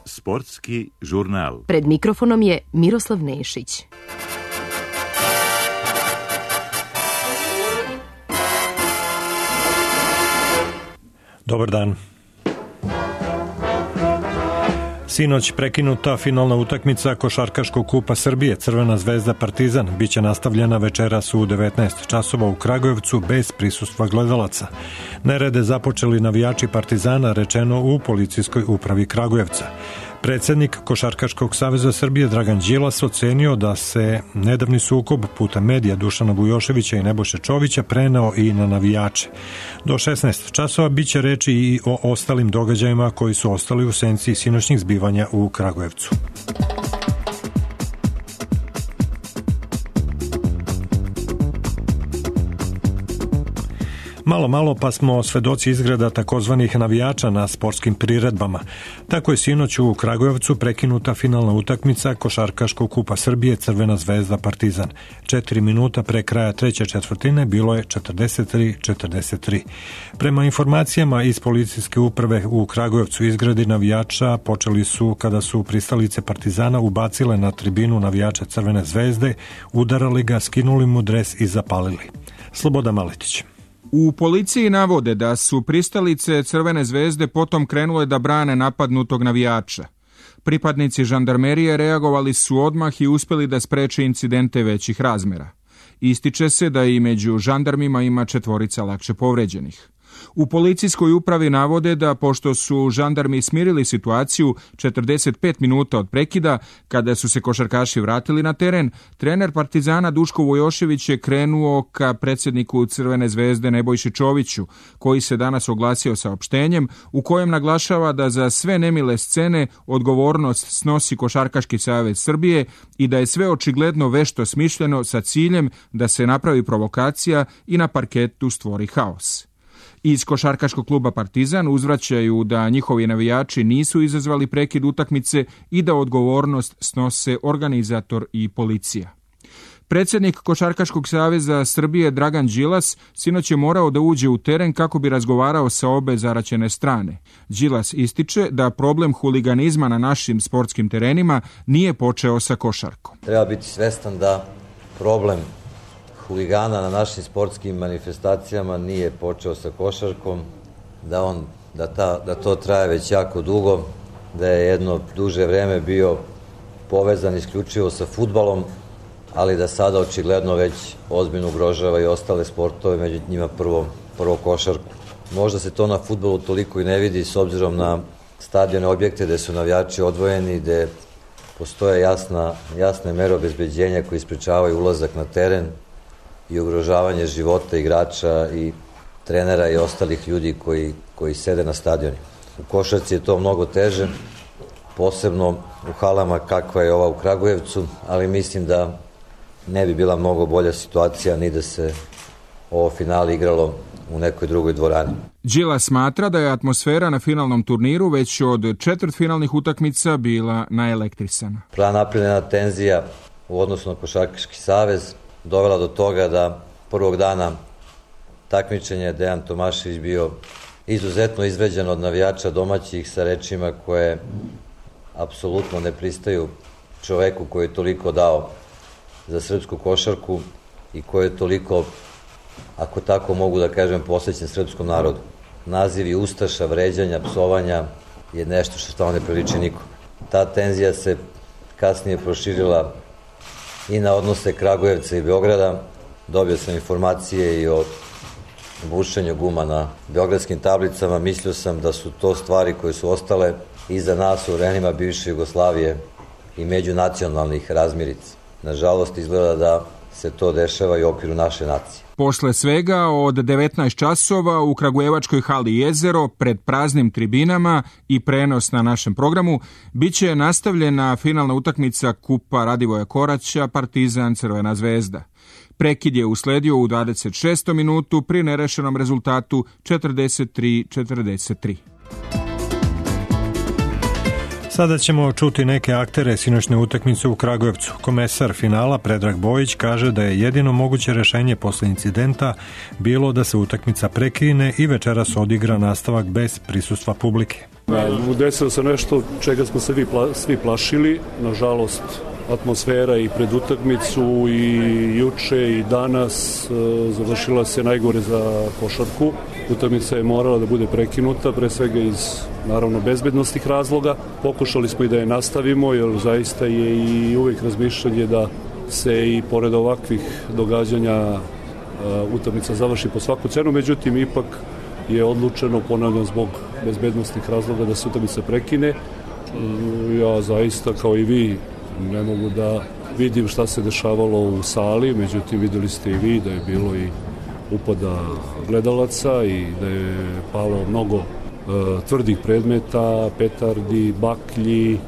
Sportski žurnal. Pred mikrofonom je Miroslav Nešić. Dobar dan. Sinoć prekinuta finalna utakmica Košarkaškog kupa Srbije Crvena zvezda Partizan biće nastavljena večeras u 19 časova u Kragujevcu bez prisustva gledalaca. Nerede započeli navijači Partizana, rečeno u policijskoj upravi Kragujevca. Predsjednik Košarkaškog saveza Srbije Dragan Đilas ocenio da se nedavni sukob putem medija Dušana Vujoševića i Nebojše Čovića preneo i na navijače. Do 16 časova biće reči i o ostalim događajima koji su ostali u senci sinoćnih zbivanja u Kragujevcu. Malo pa smo svedoci izgreda takozvanih navijača na sportskim priredbama. Tako je sinoć u Kragujevcu prekinuta finalna utakmica Košarkaškog kupa Srbije Crvena zvezda Partizan. 4 minuta pre kraja treće četvrtine bilo je 43-43. Prema informacijama iz policijske uprave u Kragujevcu, izgredi navijača počeli su kada su pristalice Partizana ubacile na tribinu navijača Crvene zvezde, udarali ga, skinuli mu dres i zapalili. Slobodan Maletić. U policiji navode da su pristalice Crvene zvezde potom krenule da brane napadnutog navijača. Pripadnici žandarmerije reagovali su odmah i uspjeli da spreče incidente većih razmera. Ističe se da i među žandarmima ima 4 lakše povređenih. U policijskoj upravi navode da pošto su žandarmi smirili situaciju 45 minuta od prekida, kada su se košarkaši vratili na teren, trener Partizana Duško Vujošević je krenuo ka predsjedniku Crvene zvezde Nebojši Čoviću, koji se danas oglasio saopštenjem u kojem naglašava da za sve nemile scene odgovornost snosi Košarkaški savez Srbije i da je sve očigledno vešto smišljeno sa ciljem da se napravi provokacija i na parketu stvori haos. Iz Košarkaškog kluba Partizan uzvraćaju da njihovi navijači nisu izazvali prekid utakmice i da odgovornost snose organizator i policija. Predsjednik Košarkaškog saveza Srbije Dragan Đilas sinoć je morao da uđe u teren kako bi razgovarao sa obe zaraćene strane. Đilas ističe da problem huliganizma na našim sportskim terenima nije počeo sa košarkom. Treba biti svestan da problem huligana na našim sportskim manifestacijama nije počeo sa košarkom, da to traje već jako dugo, da je jedno duže vreme bio povezan isključivo sa fudbalom, ali da sada očigledno već ozbiljno ugrožava i ostale sportove, među njima prvo košarku. Možda se to na fudbalu toliko i ne vidi s obzirom na stadione objekte gde su navijači odvojeni, gde postoje jasne mere obezbeđenja koji sprečavaju ulazak na teren i ugrožavanje života igrača i trenera i ostalih ljudi koji sede na stadioni. U košarci je to mnogo teže, posebno u halama kakva je ova u Kragujevcu, ali mislim da ne bi bila mnogo bolja situacija ni da se ovo finale igralo u nekoj drugoj dvorani. Đilas smatra da je atmosfera na finalnom turniru već od četvrtfinalnih utakmica bila naelektrisana. Napravljena tenzija u odnosu na Košarkaški savez dovela do toga da prvog dana takmičenja Dejan Tomašević bio izuzetno izvređan od navijača domaćih sa rečima koje apsolutno ne pristaju čoveku koji je toliko dao za srpsku košarku i koji je toliko, ako tako mogu da kažem, posvećen srpskom narodu. Nazivi ustaša, vređanja, psovanja je nešto što stvarno ne priliči nikom. Ta tenzija se kasnije proširila i na odnose Kragujevca i Beograda. Dobio sam informacije i o bušenju guma na beogradskim tablicama. Mislio sam da su to stvari koje su ostale iza nas u vremenima bivše Jugoslavije i međunacionalnih razmirica. Nažalost, izgleda da se to dešava i u okviru naše nacije. Posle svega od 19 časova u Kragujevačkoj hali Jezero pred praznim tribinama i prenos na našem programu biće nastavljena finalna utakmica Kupa Radivoja Koraća Partizan Crvena zvezda. Prekid je usledio u 26. minutu pri nerešenom rezultatu 43-43. Sada ćemo čuti neke aktere sinoćne utakmice u Kragujevcu. Komesar finala Predrag Bojić kaže da je jedino moguće rešenje posle incidenta bilo da se utakmica prekine i večeras odigra nastavak bez prisustva publike. Desilo se nešto čega smo se svi plašili, nažalost atmosfera i pred utakmicu i juče i danas završila se najgore za košarku. Utakmica je morala da bude prekinuta, pre svega iz naravno bezbednostnih razloga. Pokušali smo i da je nastavimo, jer zaista je i uvijek razmišljanje da se i pored ovakvih događanja utakmica završi po svaku cenu, međutim ipak je odlučeno, ponavljam, zbog bezbednostnih razloga da se utakmica prekine. Ja zaista, kao i vi, ne mogu da vidim šta se dešavalo u sali, međutim videli ste i vi da je bilo i upada gledalaca i da je palo mnogo tvrdih predmeta, petardi, baklji.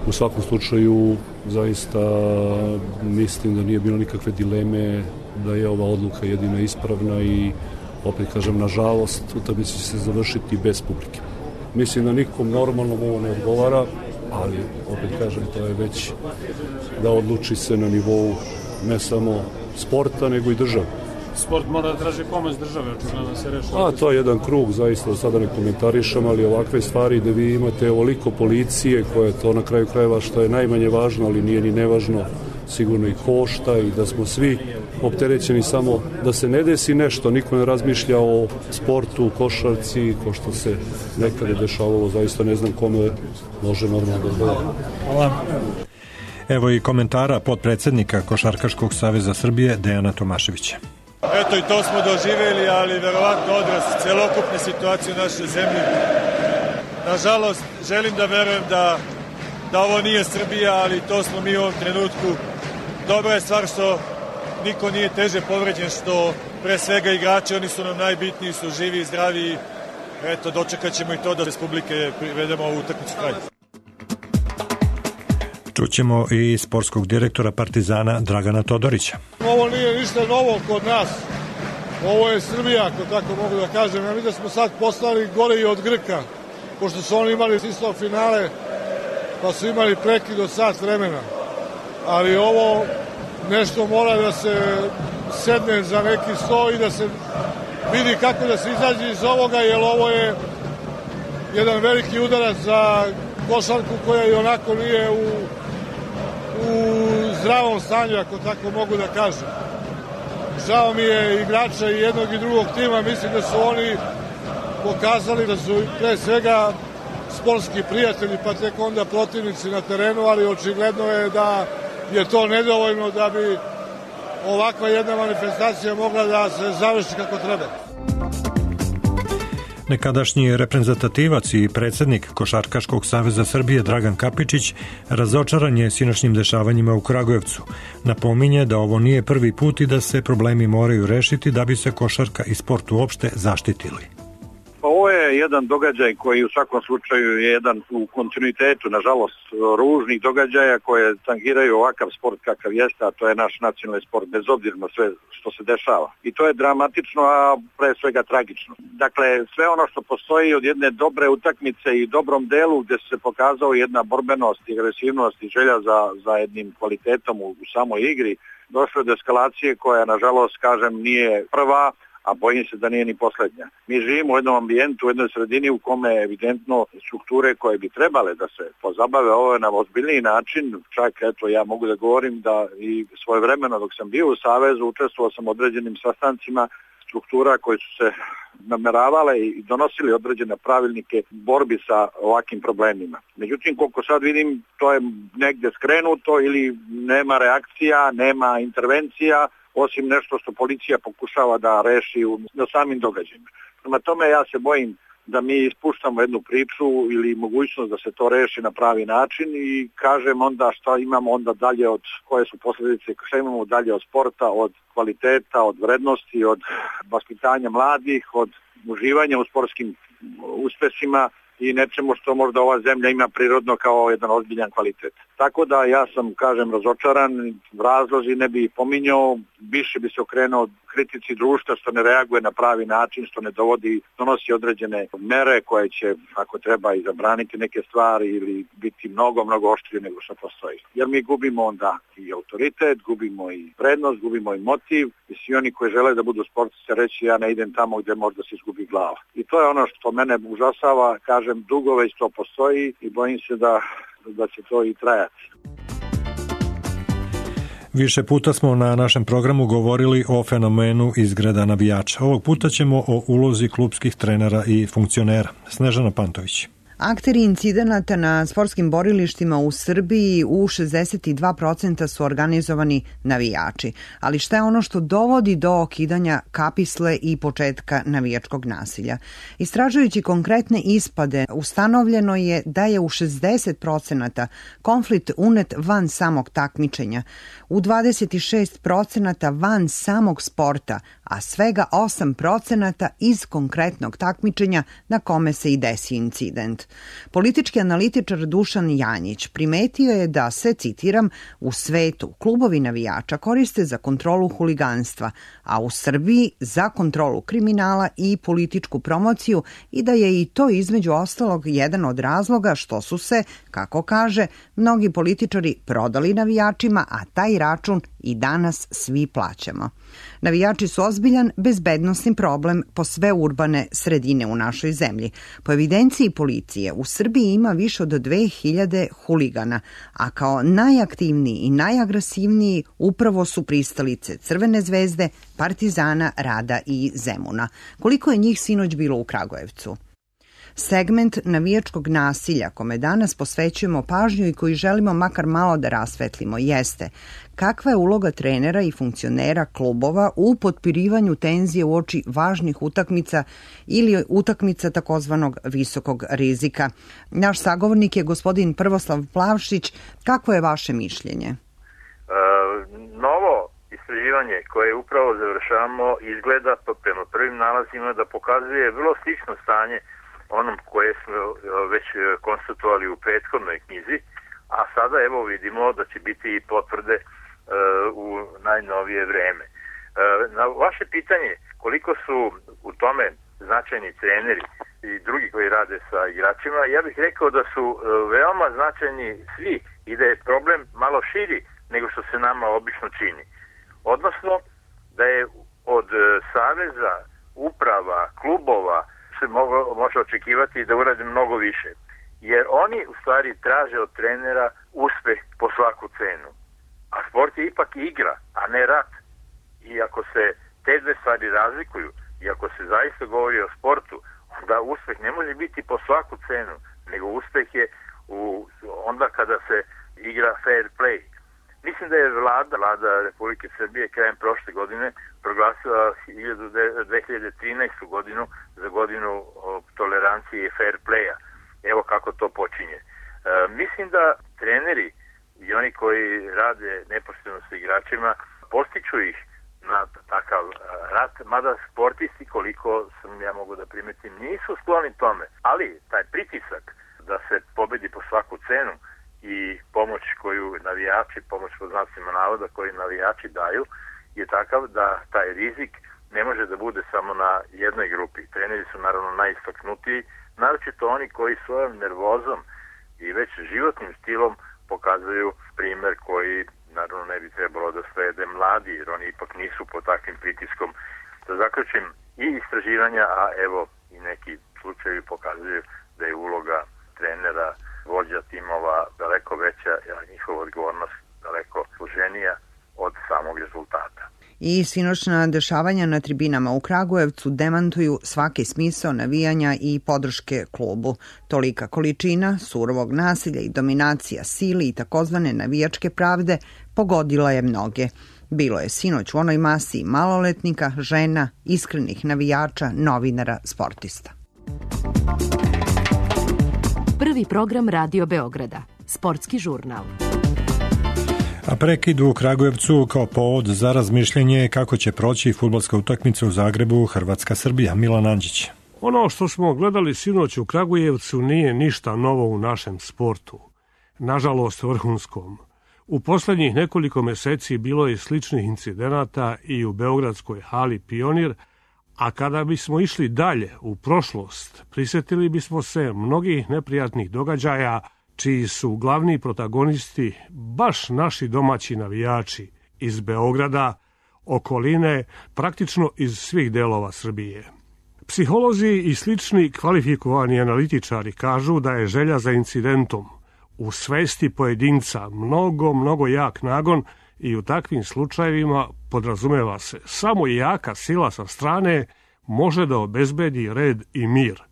U svakom slučaju zaista mislim da nije bilo nikakve dileme da je ova odluka jedina ispravna i opet kažem, nažalost, utakmica će se završiti bez publike. Mislim da nikom normalnom ovo ne odgovara, ali opet kažem, to je već da odluči se na nivou ne samo sporta, nego i države. Sport mora da traži pomoć države, očigledno da se reši. To je jedan krug, zaista sada ne komentarišem, ali ovakve stvari da vi imate ovoliko policije koje to na kraju krajeva što je najmanje važno, ali nije ni nevažno, sigurno i košta i da smo svi opterećeni samo da se ne desi nešto, niko ne razmišlja o sportu, košarci, ko što se nekada dešavalo, zaista ne znam kome može normalno da odgovara. Hvala. Evo i komentara potpredsednika Košarkaškog saveza Srbije Dejana Tomaševića. Eto i to smo doživjeli, ali verovatno odraz celokupne situacije u našoj zemlji. Nažalost, želim da verujem da ovo nije Srbija, ali to smo mi u ovom trenutku. Dobra je stvar što niko nije teže povređen, što pre svega igrači, oni su nam najbitniji, su živi i zdravi. Eto, dočekat ćemo i to da bez publike privedemo ovu utakmicu kraj. Čućemo i sportskog direktora Partizana Dragana Todorića. Ovo nije ništa novo kod nas. Ovo je Srbija, ako tako mogu da kažem. Ja mi da smo sad postali gore i od Grka, pošto su oni imali isto finale, pa su imali prekid od sat vremena. Ali ovo nešto mora da se sedne za neki sto i da se vidi kako da se izađe iz ovoga, jer ovo je jedan veliki udarac za košarku koja i onako nije u zdravom stanju, ako tako mogu da kažem. Žao mi je igrača i jednog i drugog tima, mislim da su oni pokazali da su pre svega sportski prijatelji, pa tek onda protivnici na terenu, ali očigledno je da je to nedovoljno da bi ovakva jedna manifestacija mogla da se završi kako treba. Nekadašnji reprezentativac i predsednik Košarkaškog saveza Srbije Dragan Kapičić razočaran je sinoćnim dešavanjima u Kragujevcu. Napominje da ovo nije prvi put i da se problemi moraju rešiti da bi se košarka i sport uopšte zaštitili. Ovo je jedan događaj koji u svakom slučaju je jedan u kontinuitetu, nažalost, ružnih događaja koje tangiraju ovakav sport kakav jeste, a to je naš nacionalni sport, bez obzira na sve što se dešava. I to je dramatično, a pre svega tragično. Dakle, sve ono što postoji od jedne dobre utakmice i dobrom delu gde se pokazao jedna borbenost i agresivnost i želja za jednim kvalitetom u samoj igri, došlo do eskalacije koja, nažalost, kažem, nije prva, a bojim se da nije ni poslednja. Mi živimo u jednom ambijentu, u jednoj sredini u kome evidentno strukture koje bi trebale da se pozabave ovo na ozbiljniji način, čak eto ja mogu da govorim da i svojevremeno dok sam bio u Savezu učestvovao sam u određenim sastancima struktura koje su se nameravale i donosili određene pravilnike borbi sa ovakvim problemima. Međutim, koliko sad vidim, to je negde skrenuto ili nema reakcija, nema intervencija, osim nešto što policija pokušava da reši na samim događajima. Prema tome ja se bojim da mi ispuštamo jednu priču ili mogućnost da se to reši na pravi način i kažem onda šta imamo onda dalje od koje su posljedice, šta imamo dalje od sporta, od kvaliteta, od vrednosti, od vaspitanja mladih, od uživanja u sportskim uspesima i nečemu što možda ova zemlja ima prirodno kao jedan ozbiljan kvalitet. Tako da ja sam, kažem, razočaran, razlozi ne bi pominjao, više bi se okrenuo kritici društva što ne reaguje na pravi način, što ne donosi određene mere koje će, ako treba, i zabraniti neke stvari ili biti mnogo oštrije nego što postoji. Jer mi gubimo onda i autoritet, gubimo i prednost, gubimo i motiv i svi oni koji žele da budu sportisti reći ja ne idem tamo gdje možda se izgubi glava. I to je ono što mene užasava, kažem, dugo već to postoji i bojim se da će to i trajati. Više puta smo na našem programu govorili o fenomenu izgreda navijača. Ovog puta ćemo o ulozi klupskih trenera i funkcionera. Snežana Pantović. Akteri incidenata na sportskim borilištima u Srbiji u 62% su organizovani navijači. Ali šta je ono što dovodi do okidanja kapisle i početka navijačkog nasilja? Istražujući konkretne ispade, ustanovljeno je da je u 60% konflikt unet van samog takmičenja, u 26% van samog sporta, a svega 8% iz konkretnog takmičenja na kome se i desi incident. Politički analitičar Dušan Janjić primetio je da se, citiram, u svetu klubovi navijača koriste za kontrolu huliganstva, a u Srbiji za kontrolu kriminala i političku promociju i da je i to između ostalog jedan od razloga što su se, kako kaže, mnogi političari prodali navijačima, a taj račun i danas svi plaćamo. Navijači su ozbiljan bezbednosni problem po sve urbane sredine u našoj zemlji. Po evidenciji policije u Srbiji ima više od 2000 huligana, a kao najaktivniji i najagresivniji upravo su pristalice Crvene zvezde, Partizana, Rada i Zemuna. Koliko je njih sinoć bilo u Kragujevcu? Segment navijačkog nasilja kome danas posvećujemo pažnju i koji želimo makar malo da rasvetlimo jeste kakva je uloga trenera i funkcionera klubova u potpirivanju tenzije uoči važnih utakmica ili utakmica takozvanog visokog rizika. Naš sagovornik je gospodin Prvoslav Plavšić. Kako je vaše mišljenje? Novo istraživanje koje upravo završavamo izgleda prema prvim nalazima da pokazuje vrlo slično stanje onom koje smo već konstatovali u prethodnoj knjizi, a sada evo vidimo da će biti i potvrde u najnovije vreme. Na vaše pitanje koliko su u tome značajni treneri i drugi koji rade sa igračima, ja bih rekao da su veoma značajni svi i da je problem malo širi nego što se nama obično čini. Odnosno da je od saveza, uprava, klubova se može očekivati da urade mnogo više. Jer oni u stvari traže od trenera uspeh po svaku cenu. A sport je ipak igra, a ne rat. I ako se te dve stvari razlikuju i ako se zaista govori o sportu, onda uspeh ne može biti po svaku cenu, nego uspeh je onda kada se igra fair play. Mislim da je vlada Republike Srbije krajem prošle godine proglasila 2013. godinu za godinu tolerancije i fair playa. Evo kako to počinje. Mislim da treneri i oni koji rade neposredno sa igračima postiču ih na takav rat, mada sportisti, koliko sam ja mogu da primetim, nisu skloni tome. Ali taj pritisak da se pobedi po svaku cenu i pomoć koju navijači, pomoć po znacima navoda koju navijači daju, je takav da taj rizik ne može da bude samo na jednoj grupi. Treneri su naravno najistaknutiji, naročito oni koji svojom nervozom i već životnim stilom pokazuju primer koji naravno ne bi trebalo da slede mladi, jer oni ipak nisu pod takvim pritiskom. Da zaključim, i istraživanja, a evo i neki slučajevi pokazuju da je uloga trenera, vođa timova daleko veća, a njihova odgovornost daleko složenija od samog rezultata. I sinoćna dešavanja na tribinama u Kragujevcu demantuju svaki smisao navijanja i podrške klubu. Tolika količina surovog nasilja i dominacija sili i takozvane navijačke pravde pogodila je mnoge. Bilo je sinoć u onoj masi maloletnika, žena, iskrenih navijača, novinara, sportista. Prvi program Radio Beograda, sportski žurnal. A prekid u Kragujevcu kao povod za razmišljanje kako će proći fudbalska utakmica u Zagrebu Hrvatska-Srbija. Milan Andžić. Ono što smo gledali sinoć u Kragujevcu nije ništa novo u našem sportu. Nažalost vrhunskom. U poslednjih nekoliko meseci bilo je sličnih incidenata i u beogradskoj hali Pionir, a kada bismo išli dalje u prošlost, prisjetili bismo se mnogih neprijatnih događaja čiji su glavni protagonisti baš naši domaći navijači iz Beograda, okoline, praktično iz svih delova Srbije. Psiholozi i slični kvalifikovani analitičari kažu da je želja za incidentom u svesti pojedinca mnogo jak nagon i u takvim slučajevima podrazumeva se samo jaka sila sa strane može da obezbedi red i mir.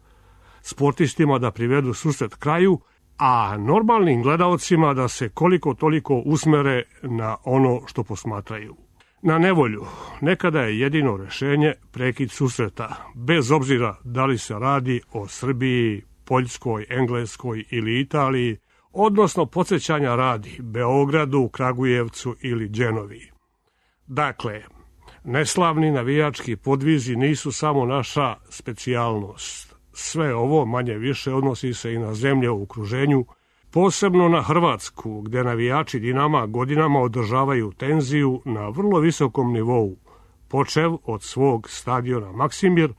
Sportistima da privedu susret kraju, a normalnim gledaocima da se koliko toliko usmere na ono što posmatraju. Na nevolju nekada je jedino rešenje prekid susreta, bez obzira da li se radi o Srbiji, Poljskoj, Engleskoj ili Italiji, odnosno podsjećanja radi Beogradu, Kragujevcu ili Đenovi. Dakle, neslavni navijački podvizi nisu samo naša specijalnost. Sve ovo manje više odnosi se i na zemlje u okruženju, posebno na Hrvatsku, gde navijači Dinama godinama održavaju tenziju na vrlo visokom nivou, počev od svog stadiona Maksimir,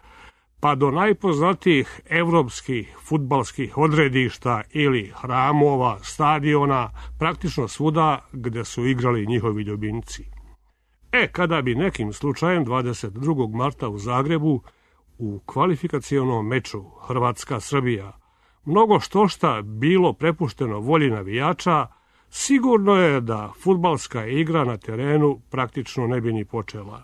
pa do najpoznatijih evropskih fudbalskih odredišta ili hramova, stadiona, praktično svuda gde su igrali njihovi ljubimci. Kada bi nekim slučajem 22. marta u Zagrebu u kvalifikacionom meču Hrvatska-Srbija mnogo štošta bilo prepušteno volji navijača, sigurno je da fudbalska igra na terenu praktično ne bi ni počela.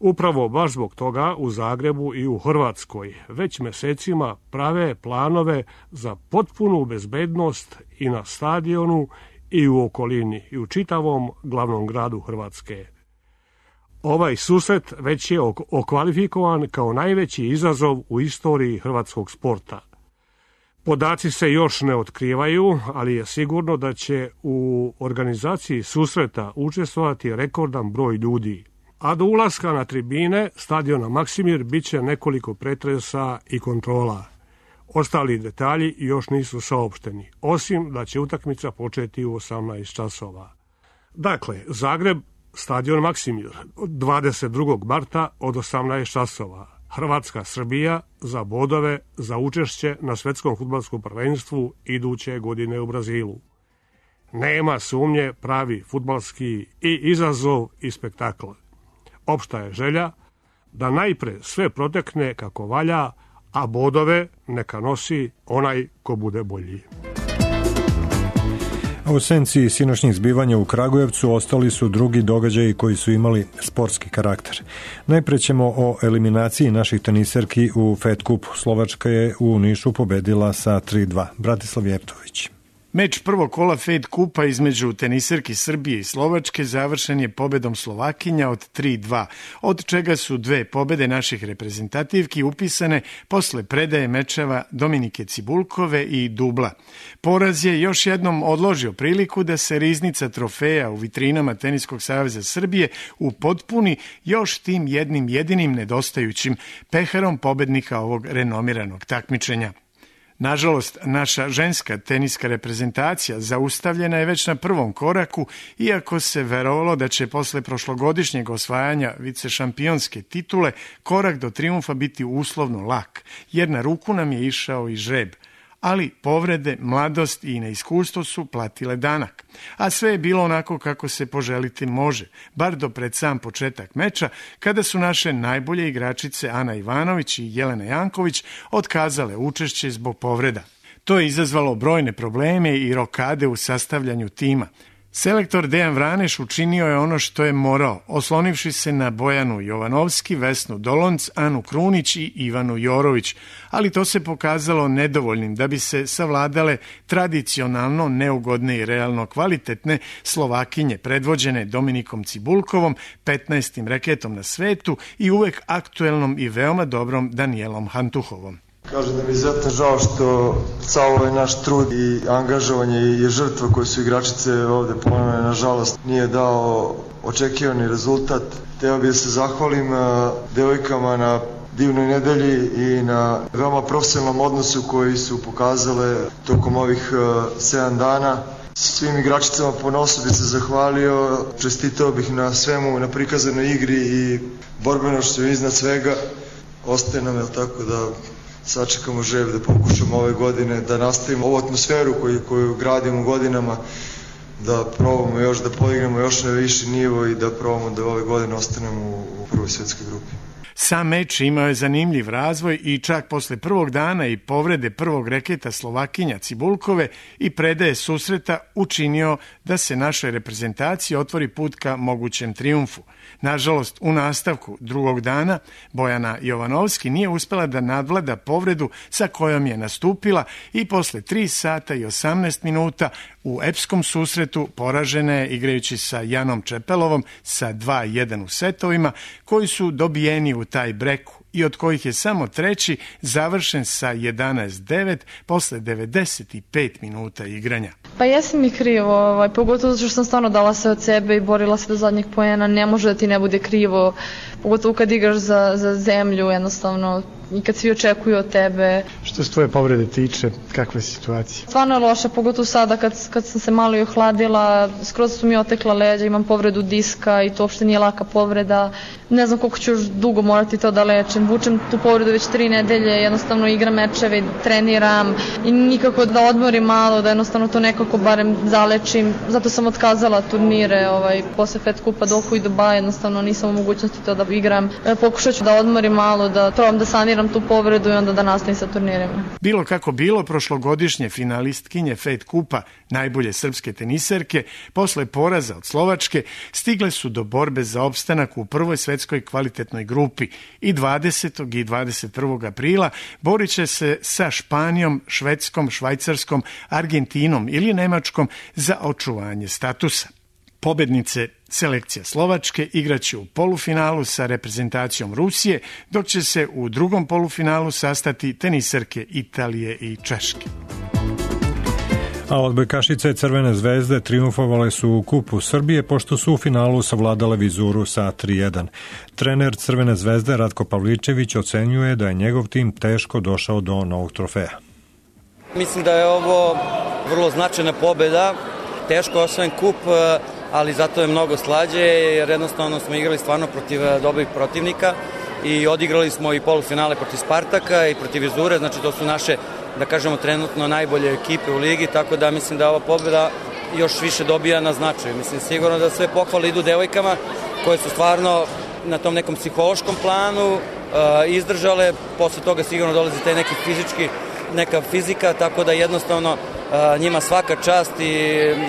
Upravo baš zbog toga u Zagrebu i u Hrvatskoj već mesecima prave planove za potpunu bezbednost i na stadionu i u okolini i u čitavom glavnom gradu Hrvatske. Ovaj susret već je okvalifikovan kao najveći izazov u istoriji hrvatskog sporta. Podaci se još ne otkrivaju, ali je sigurno da će u organizaciji susreta učestvovati rekordan broj ljudi. A do ulaska na tribine stadiona Maksimir bit će nekoliko pretresa i kontrola. Ostali detalji još nisu saopšteni, osim da će utakmica početi u 18 časova. Dakle, Zagreb, stadion Maksimir, 22. marta od 18 časova. Hrvatska-Srbija za bodove za učešće na svetskom fudbalskom prvenstvu iduće godine u Brazilu. Nema sumnje pravi fudbalski i izazov i spektakl. Opšta je želja da najpre sve protekne kako valja, a bodove neka nosi onaj ko bude bolji. U senci sinoćnih zbivanja u Kragujevcu ostali su drugi događaji koji su imali sportski karakter. Najpre ćemo o eliminaciji naših teniserki u Fed Kupu. Slovačka je u Nišu pobedila sa 3-2. Bratislav Jeftović. Meč prvog kola Fed Kupa između teniserki Srbije i Slovačke završen je pobedom Slovakinja od 3-2, od čega su 2 pobede naših reprezentativki upisane posle predaje mečeva Dominike Cibulkove i dubla. Poraz je još jednom odložio priliku da se riznica trofeja u vitrinama Teniskog saveza Srbije upotpuni još tim jednim jedinim nedostajućim peharom pobednika ovog renomiranog takmičenja. Nažalost, naša ženska teniska reprezentacija zaustavljena je već na prvom koraku, iako se verovalo da će posle prošlogodišnjeg osvajanja vicešampionske titule korak do trijumfa biti uslovno lak, jer na ruku nam je išao i žreb. Ali povrede, mladost i neiskustvo su platile danak. A sve je bilo onako kako se poželiti može, bar do pred sam početak meča, kada su naše najbolje igračice Ana Ivanović i Jelena Janković otkazale učešće zbog povreda. To je izazvalo brojne probleme i rokade u sastavljanju tima. Selektor Dejan Vraneš učinio je ono što je morao, oslonivši se na Bojanu Jovanovski, Vesnu Dolonc, Anu Krunić i Ivanu Jorović, ali to se pokazalo nedovoljnim da bi se savladale tradicionalno neugodne i realno kvalitetne Slovakinje predvođene Dominikom Cibulkovom, 15. reketom na svetu i uvek aktuelnom i veoma dobrom Danielom Hantuhovom. Kažem da mi je izuzetno žao što sav ovaj naš trud i angažovanje i žrtva koje su igračice ovde ponavljene, nažalost, nije dao očekivani rezultat. Hteo bih da se zahvalim devojkama na divnoj nedelji i na veoma profesionalnom odnosu koji su pokazale tokom ovih 7 dana. Svim igračicama ponosu bih se zahvalio, čestitao bih na svemu, na prikazanoj igri i borbenošću iznad svega. Ostaje nam, tako da sačekamo želju da pokušamo ove godine da nastavimo ovu atmosferu koju gradimo godinama, da probamo još da podignemo još na viši nivo i da probamo da ove godine ostanemo u prvoj svjetskoj grupi. Sam meč imao je zanimljiv razvoj i čak posle prvog dana i povrede prvog reketa Slovakinja Cibulkove i predaje susreta učinio da se našoj reprezentaciji otvori put ka mogućem trijumfu. Nažalost, u nastavku drugog dana Bojana Jovanovski nije uspela da nadvlada povredu sa kojom je nastupila i posle 3 sata i 18 minuta u epskom susretu poražena je igrajući sa Janom Čepelovom sa 2-1 u setovima koji su dobijeni u taj breku i od kojih je samo treći završen sa 11-9 posle 95 minuta igranja. Pa jesam mi krivo, pogotovo zato što sam stvarno dala sve od sebe i borila se do zadnjeg poena, ne može da ti ne bude krivo, pogotovo kad igraš za zemlju, jednostavno, i kad svi očekuju od tebe. Što se tvoje povrede tiče, kakva je situacija? Stvarno je loša, pogotovo sada kad sam se malo i ohladila, skroz su mi otekla leđa, imam povredu diska i to uopšte nije laka povreda. Ne znam koliko ću još dugo morati to da lečim. Vučem tu povredu već 3 nedelje, jednostavno igram mečeve, treniram i nikako da odmorim malo, da jednostavno to nekako barem zalečim. Zato sam otkazala turnire posle Fed Kupa Dohu i Dubaja, jednostavno nisam u mogućnosti to da igram. Pokušat ću da odmorim malo, da probam da saniram tu povredu i onda da nastavim sa turnirima. Bilo kako bilo, prošlogodišnje finalistkinje Fed Kupa, najbolje srpske teniserke, posle poraza od Slovačke, stigle su do borbe za opstanak u prvoj svetskoj kvalitetnoj grupi i 20. i 21. aprila borit će se sa Španijom, Švedskom, Švajcarskom, Argentinom ili Nemačkom za očuvanje statusa. Pobednice selekcija Slovačke igraće u polufinalu sa reprezentacijom Rusije, dok će se u drugom polufinalu sastati teniserke Italije i Češke. A odbojkašice Crvene zvezde triumfovale su u Kupu Srbije pošto su u finalu savladale Vizuru sa 3-1. Trener Crvene zvezde Ratko Pavličević ocenjuje da je njegov tim teško došao do novog trofeja. Mislim da je ovo vrlo značajna pobeda, teško osvojen kup, ali zato je mnogo slađe jer jednostavno smo igrali stvarno protiv dobrih protivnika i odigrali smo i polufinale protiv Spartaka i protiv Vizure, znači to su naše, da kažemo, trenutno najbolje ekipe u ligi, tako da mislim da ova pobjeda još više dobija na značaju. Mislim sigurno da sve pohvale idu devojkama koje su stvarno na tom nekom psihološkom planu izdržale, posle toga sigurno dolazi taj neki neka fizika, tako da jednostavno njima svaka čast i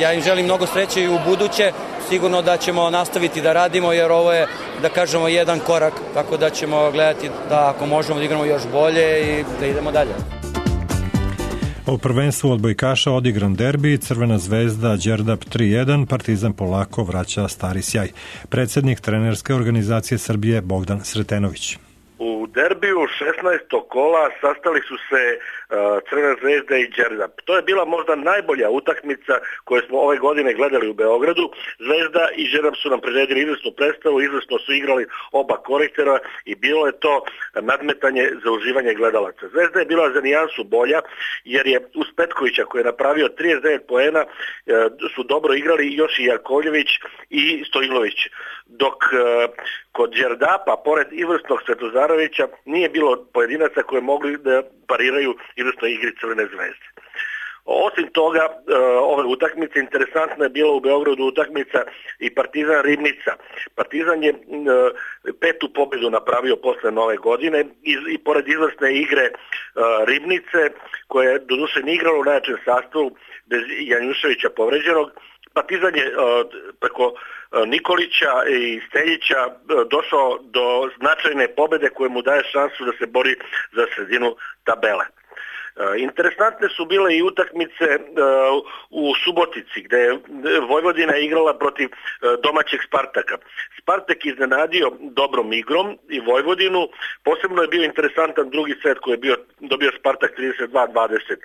ja im želim mnogo sreće i u buduće. Sigurno da ćemo nastaviti da radimo jer ovo je, da kažemo, jedan korak, tako da ćemo gledati da ako možemo da igramo još bolje i da idemo dalje. U prvenstvu odbojkaša odigran derbi, Crvena zvezda Đerdap 3-1, Partizan polako vraća stari sjaj. Predsjednik trenerske organizacije Srbije Bogdan Sretenović. U derbiju 16. kola sastali su se Crvena zvezda i Đerdap. To je bila možda najbolja utakmica koju smo ove godine gledali u Beogradu. Zvezda i Đerdap su nam priredili izvrsnu predstavu, izvrsno su igrali oba koriktera i bilo je to nadmetanje za uživanje gledalaca. Zvezda je bila za nijansu bolja jer je uz Petkovića koji je napravio 39 poena su dobro igrali još i Jakovljević i Stojlović. Dok kod Đerdapa, pored izvrsnog Svetozarovića, nije bilo pojedinaca koje mogli da pariraju izvrsnoj igri Crvene zvezde. Osim toga, ove utakmice, interesantna je bila u Beogradu utakmica i Partizan Ribnica. Partizan je 5. pobjedu napravio posle nove godine i pored izvrsne igre Ribnice, koja je doduše ne igrala u najjačem sastavu bez Janjuševića povređenog, Partizan je preko Nikolića i Steljića došao do značajne pobjede koje mu daje šansu da se bori za sredinu tabele. Interesantne su bile i utakmice u Subotici gde je Vojvodina igrala protiv domaćeg Spartaka. Spartak iznenadio dobrom igrom i Vojvodinu. Posebno je bio interesantan drugi set koji je dobio Spartak 32-20.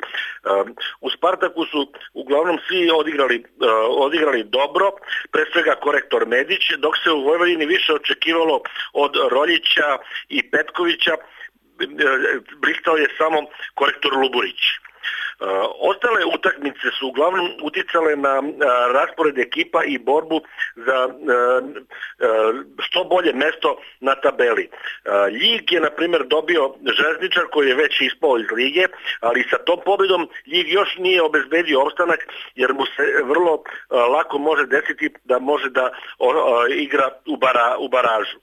U Spartaku su uglavnom svi odigrali dobro, pre svega korektor Medić, dok se u Vojvodini više očekivalo od Roljića i Petkovića, blistao je samo korektor Luburić. Ostale utakmice su uglavnom uticale na raspored ekipa i borbu za što bolje mesto na tabeli. Ljig je na primjer dobio Železničar koji je već ispao iz lige, ali sa tom pobjedom Ljig još nije obezbedio opstanak jer mu se vrlo lako može desiti da može da igra u baražu.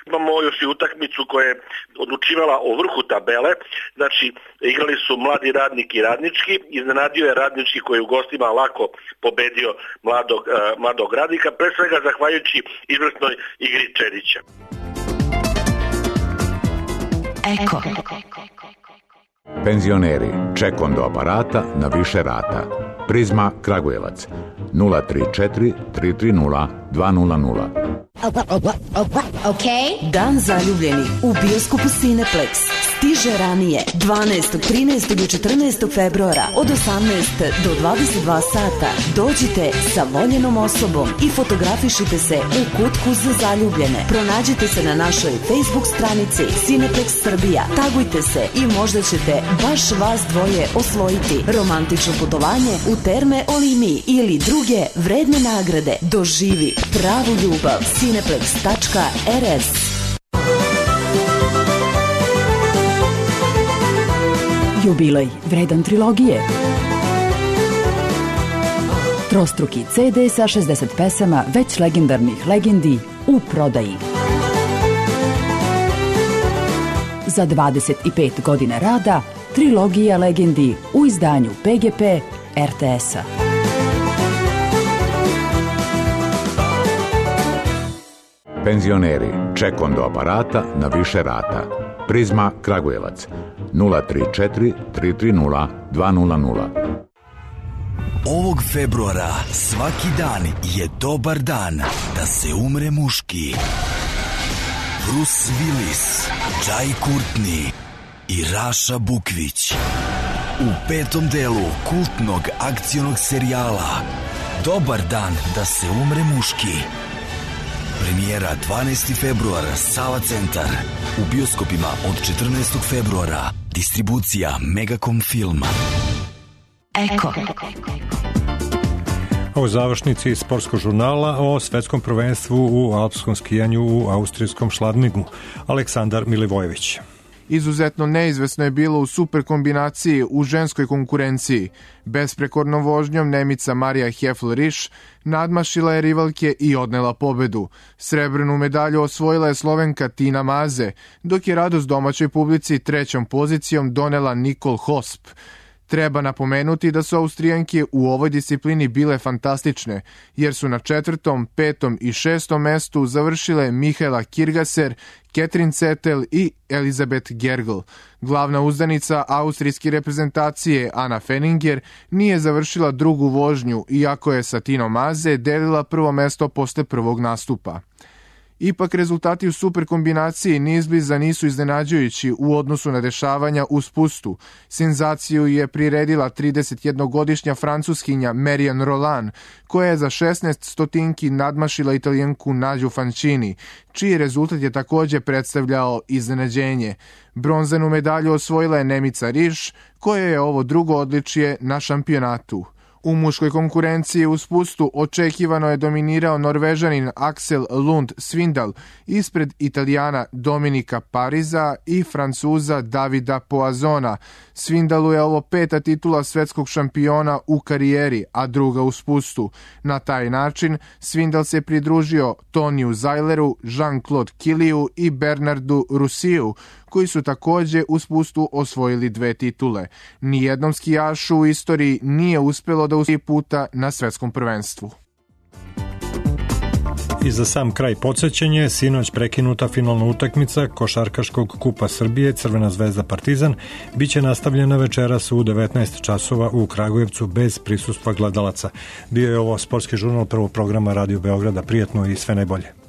Imamo još i utakmicu koja je odlučivala o vrhu tabele, znači igrali su Mladi Radnik i Radnički, iznenadio je Radnički koji u gostima lako pobedio Mladog Radnika, pre svega zahvaljujući izvrsnoj igri Čedića. Eko. Penzioneri, ček do aparata na više rata. Prizma Kragujevac 034 330 200. Okay. Dan zaljubljenih u bioskopu Cineplex stiže ranije 12., 13. i 14. februara od 18 do 22 sata. Dođite sa voljenom osobom i fotografišite se u kutku za zaljubljene. Pronađite se na našoj Facebook stranici Cineplex Srbija. Tagujte se i možda ćete baš vas dvoje osvojiti romantično putovanje u Terme Olimi ili druge vredne nagrade. Doživi pravu ljubav. Cineplex.rs. Jubilej vredan trilogije. Trostruki CD sa 60 pesama već legendarnih legendi u prodaji. Za 25 godina rada trilogija legendi u izdanju PGP RTS-a. Penzioneri, ček do aparata na više rata. Prizma Kragujevac 034 330 200. Ovog februara svaki dan je dobar dan da se umre muški. Bruce Willis, Jai Courtney i Raša Bukvić u 5. delu kultnog akcionog serijala Dobar dan da se umre muški. Premijera 12. februar, Sava centar. U bioskopima od 14. februara. Distribucija Megacom Filma. Eko. U završnici sportskog žurnala o svetskom prvenstvu u alpskom skijanju u austrijskom Šladnigu. Aleksandar Milivojević. Izuzetno neizvesno je bilo u super kombinaciji u ženskoj konkurenciji. Besprekornom vožnjom Nemica Marija Hefl-Riš nadmašila je rivalke i odnela pobedu. Srebrnu medalju osvojila je Slovenka Tina Maze, dok je radost domaćoj publici trećom pozicijom donela Nikol Hosp. Treba napomenuti da su Austrijanke u ovoj disciplini bile fantastične, jer su na 4., 5. i 6. mestu završile Mihaela Kirgaser, Ketrin Cetel i Elizabeth Gergel. Glavna uzdanica austrijske reprezentacije Ana Fenninger nije završila drugu vožnju, iako je sa Tinom Maze delila prvo mesto posle prvog nastupa. Ipak rezultati u super kombinaciji niizbliza nisu iznenađujući u odnosu na dešavanja u spustu. Senzaciju je priredila 31-godišnja francuskinja Marianne Roland, koja je za 16 stotinki nadmašila Italijanku Nađu Fancini, čiji rezultat je također predstavljao iznenađenje. Bronzanu medalju osvojila je Nemica Riš, koja je ovo drugo odličje na šampionatu. U muškoj konkurenciji u spustu očekivano je dominirao Norvežanin Axel Lund Svindal ispred Italijana Dominika Pariza i Francuza Davida Poazona. Svindalu je ovo 5. titula svetskog šampiona u karijeri, a druga u spustu. Na taj način Svindal se pridružio Toniju Zajleru, Jean-Claude Kiliju i Bernardu Rusiju, koji su također u spustu osvojili 2 titule. Nijednom skijašu u istoriji nije uspjelo da usvoji puta na svetskom prvenstvu. I za sam kraj podsjećanje, sinoć prekinuta finalna utakmica Košarkaškog kupa Srbije Crvena zvezda Partizan biće nastavljena večeras u 19 časova u Kragujevcu bez prisustva gledalaca. Bio je ovo sportski žurnal prvog programa Radio Beograda. Prijatno i sve najbolje.